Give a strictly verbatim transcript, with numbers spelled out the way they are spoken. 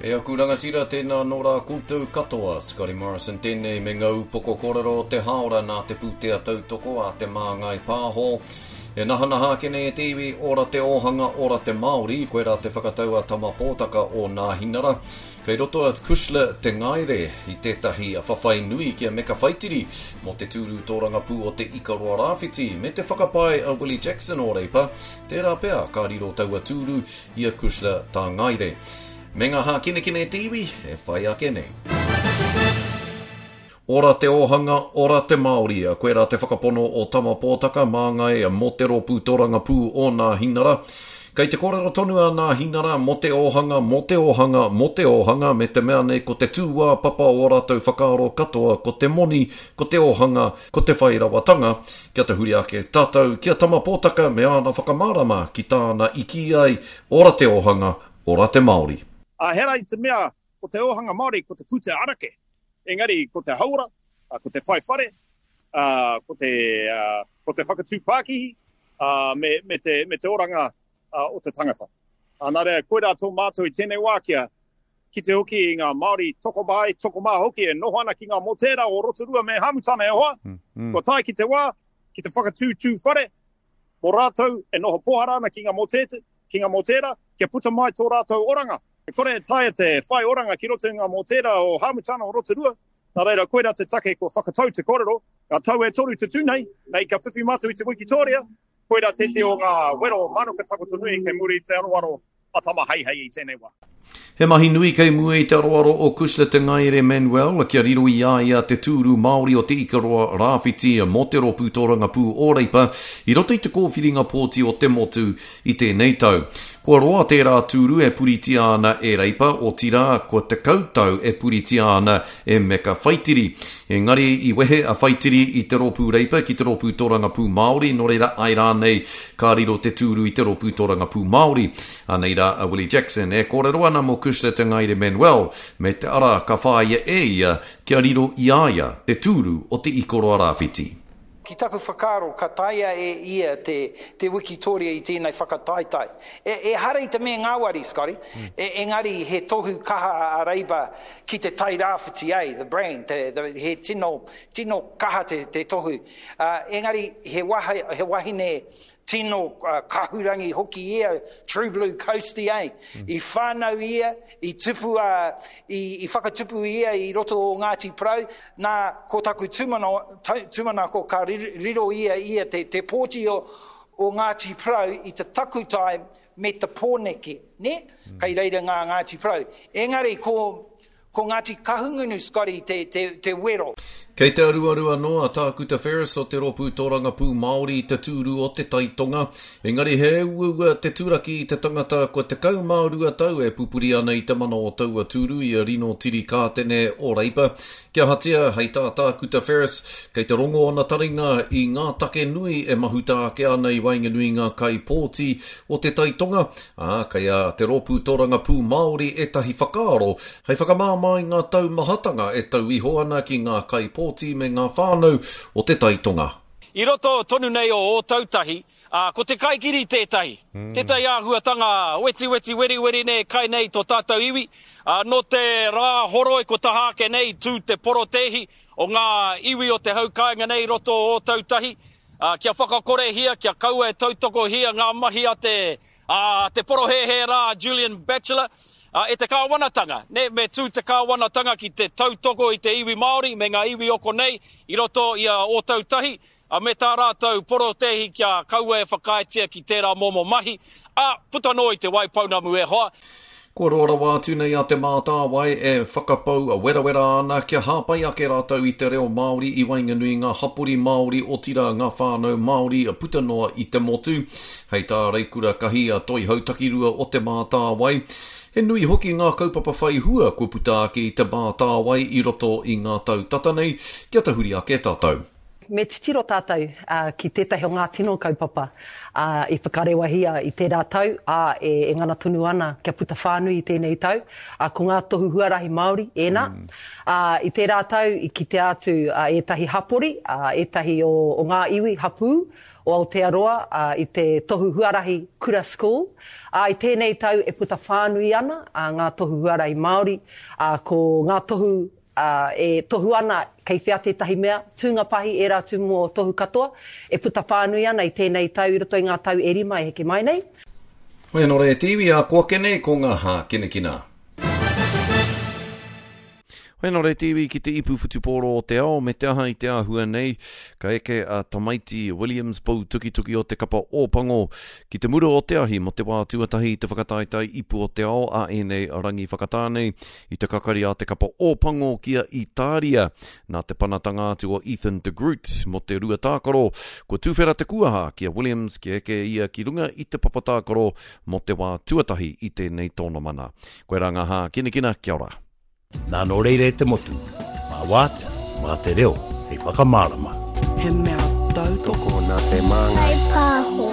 E aku rangatira, tēnā nō rā koutou katoa. Scotty Morrison tēnei me ngā upoko kōrero o te hāora nā te pūtea tautoko a Te Māngai Pāho. E nahanaha ake nei e te iwi, ora te ōhanga, ora te Māori, koirā te whakatau a Tama Pōtaka o Nāhinara. Kei roto a Cushla Te Ngaere i tētahi whawhai nui ki a Meka Whaitiri mō te tūru tōrangapū o Te Ikaroa Rāwhiti me te whakapae a Willie Jackson o Reipa, tērā pea ka riro taua tūru i a Cushla Tā Ngaere. Me ngā hākinakina e te iwi e whai ake nei. Ora te ōhanga, ora te Māori. Koirā te whakapono o Tama Pōtaka, māngai mō te rōpū tōrangapū o Nāhinara. Kei te kōrero tonu a Nāhinara mō te ōhanga, mō te ōhanga, mō te ōhanga, me te mea nei ko te tūāpapa o ō rātou whakaaro katoa ko te moni, ko te ōhanga, ko te whairawatanga. Kia tahuri ake tātou ki a Tama Pōtaka me āna whakamārama ki tāna i kī ai, ora te ōhanga, ora te Māori. Ā, ehara i te mea ko te ōhanga Māori ko te pūtea anake, engari ko te hauora, ko te whai whare, ā, ko te, ā, ko te whakatū pākihi, ā, me, me te, me te oranga o te tangata. Ā, nā reira, koirā tō mātou i tēnei wā kia kite hoki i ngā Māori tokomaha, tokomaha hoki e noho ana ki ngā motēra o Rotorua me Hāmutana e hoa, mm, mm. Kua tae ki te wā, ki te whakatūtū whare, mō rātou e noho pōhara ana ki ngā motēte, ki ngā motēra, kia puta mai tō rātou oranga. E kore e taea te whai oranga ki roto i ngā mōtēra o Hāmutana o Rotorua, nā reira koirā te take kua whakatau te kōrero, ngā tau e toru te tū nei, nei ka whiwhi mātou i te wikitōria, koirā tētehi o ngā wero mānuka takoto nui kei muri i te aroaro a Tama Heihei i tēnei wā. He mahi nui kei mua i te aroaro o Cushla Te Ngaere Manuel kia riro i a ia te tūru Māori o Te Ikaroa Rāwhiti mō te rōpū tōrangapū o Reipa i roto i te kōwhiringa pōti o te motu i tēnei tau. Kua roa tērā tūru e puritia ana e Reipa, otirā kua tekau tau e puritia ana e Meka Whaitiri. Engari i wehe a Whaitiri i te rōpū Reipa ki te rōpū tōrangapū Māori, nō reira āe rānei ka riro te tūru i te rōpū tōrangapū Māori. Anei rā a Willie Jackson e kōrero ana mō Cushla Te Ngaere Manuel me te ara ka whāia e ia kia riro i a ia te tūru o Te Ikaroa Rāwhiti. Ki taku whakaaro ka taea e ia te te wikitoria i tēnei whakataetae. E, ehara i te mea ngāwari, Scotty, e, engari he tohu kaha a Reipa ki te Tai Rāwhiti, eh, the brand, te, the, he tino, tino kaha te, te tohu. Uh, engari he, waha, he wahine tino kahurangi hoki ia, True Blue Coastie, eh? I whānau ia, i tupu a, i, i whakatupu ia i roto o Ngāti Porou, nā, ko taku tūmano, tūmanako ka riro ia ia te, te pōti o, o Ngāti Porou i te takutai me te Pōneke, nē? Mm. Kei reira ngā Ngāti Porou. Engari ko, Ko Ngāti Kahungunu, Scotty, te, te, te wero. Kei te aruaru anō a Tākuta Ferris o te Rōpū Tōrangapū Māori i te tūru o Te Tai Tonga, engari he uaua te turaki i te tangata kua tekau mā rua tau e pupuri ana i te mana o taua tūru i a Rino Tirikātene o Reipa. Kia ahatia, hei tā Tākuta Ferris, kei te rongo ōna taringa i ngā take nui e mahuta ake ana i waenganui i ngā kaipōti o Te Tai Tonga, ā, kei a Te Rōpū Tōrangapū Māori ētahi whakaaro hei whakamāmā i ngā taumahatanga e tau iho ana ki ngā kaipōti me ngā whānau o Te Tai Tonga. I roto tonu nei o Ōtautahi, ā, ko te kaikiri tētahi, tētahi āhuatanga wetiweti weriweri nei e kai nei tō tātou iwi, ā, nō te rā horoi ko taha ake nei i tū te porotēhi o ngā iwi o te hau kāinga nei i roto o Ōtautahi, ā, kia whakakorehia, kia kaua e tautokohia ngā mahi a te, ā, te porohēhē rā a Julian Batchelor, ā, e te kāwanatanga, nē, me tū te kāwanatanga ki te tautoko i te iwi Māori me ngā iwi o konei i roto i a Ōtautahi, ā, me tā rātou porotēhi kia kaua e whakaaetia ki tērā momo mahi, ā, puta noa i Te Waipounamu e hoa. Kua roa rawa atu nei a Te Mātāwai e whakapau werawera ana kia hāpai ake rātou i te reo Māori i waenganui i ngā hapori Māori, otirā ngā whānau Māori puta noa i te motu. Hei tā Reikura Kahi a Toihau Takirua o Te Mātāwai, he nui hoki ngā kaupapa whai hua kua puta ake i Te Mātāwai i roto i ngā tau tata nei, kia tahuri ake tātou. Me titiro tātou ki tētahi o ngā tino kaupapa i whakarewahia i tērā tau, ā, e ngana tonu ana kia puta whānui i tēnei tau, ko ngā tohu huarahi Māori ēnā. Ā, i tērā tau i kitea atu ētahi hapori, ētahi o ngā iwi, hapū o Aotearoa ā, i te Tohu Huarahi Kura School. Ā, i tēnei tau e puta whānui ana ā, ngā tohu huarahi Māori, ā, ko ngā tohu ā, e tohu ana kei whea tētahi mea, tūnga pahi, ērā tūmomo tohu katoa, e puta whānui ana i tēnei tau i roto i ngā tau e rima e heke mai nei. Hoi anō rā e te iwi, ā ko ake nei ko ngā hākinakina. Hoi anō rā e te iwi ki te ipu whutupōro o te ao me te aha i te āhua nei, ka eke a Tamaiti Williams pou tukituki o te kapa Ōpango ki te mura o te ahi mō te wā tuatahi i te whakataetae ipu o te ao a ēnei rangi whakatā nei i te kakari a te kapa Ōpango ki a Itāria nā te panatanga atu o Ethan de Groot mō te rua tākaro kua tuwhera te kuaha ki a Williams kia eke ia ki runga i te papa tākaro mō te wā tuatahi i tēnei tōnamana. Koirā ngā hākinakina, kia ora. Nā nō reira e te motu, mā wātea, mā te reo hei whakamārama. He mea tautoko Tokona te māngai. Whai pāho.